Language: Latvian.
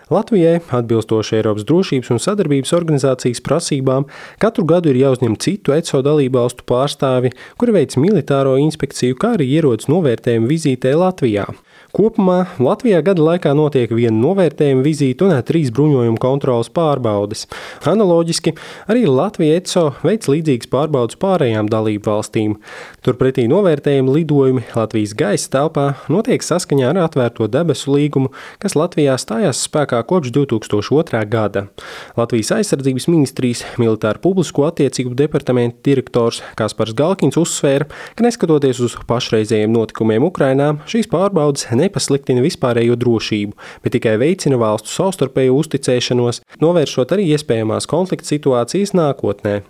Latvijai, atbilstoši Eiropas drošības un sadarbības organizācijas prasībām, katru gadu ir jāuzņem citu ECO dalībvalstu pārstāvi, kuri veic militāro inspekciju, kā arī ierodas novērtējuma vizītē Latvijā. Kopumā Latvijā gada laikā notiek viena novērtējuma vizīte un 3 bruņojuma kontroles pārbaudes. Analoģiski arī Latvija ECO veic līdzīgas pārbaudes pārējām dalību valstīm. Turpretī novērtējuma lidojumi Latvijas gaisa telpā notiek saskaņā ar atvērto debesu līgumu, kas Latvijā stājās spēkā kopš 2002. gada. Latvijas aizsardzības ministrijas militāru publisko attiecību departamenta direktors Kaspars Galkins uzsvēra, ka neskatoties uz pašreizējiem notikumiem Ukrainā, šīs pārbaudes nepasliktina vispārējo drošību, bet tikai veicina valstu savstarpējo uzticēšanos, novēršot arī iespējamās konflikta situācijas nākotnē.